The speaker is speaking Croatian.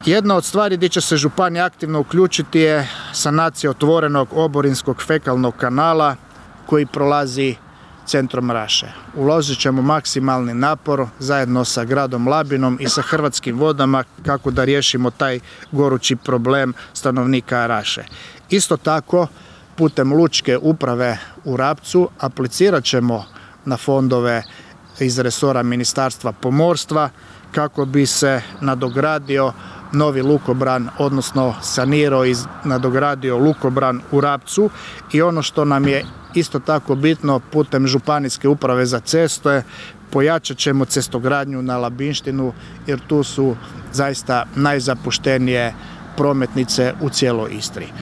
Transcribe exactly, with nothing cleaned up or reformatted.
Jedna od stvari gdje će se županija aktivno uključiti je sanacija otvorenog oborinskog fekalnog kanala koji prolazi centrom Raše. Uložit ćemo maksimalni napor zajedno sa gradom Labinom i sa Hrvatskim vodama kako da riješimo taj gorući problem stanovnika Raše. Isto tako, putem lučke uprave u Rapcu aplicirat ćemo na fondove iz resora Ministarstva pomorstva kako bi se nadogradio novi lukobran, odnosno sanirao i nadogradio lukobran u Rapcu. I ono što nam je isto tako bitno, putem Županijske uprave za ceste pojačat ćemo cestogradnju na Labinštinu jer tu su zaista najzapuštenije prometnice u cijeloj Istri.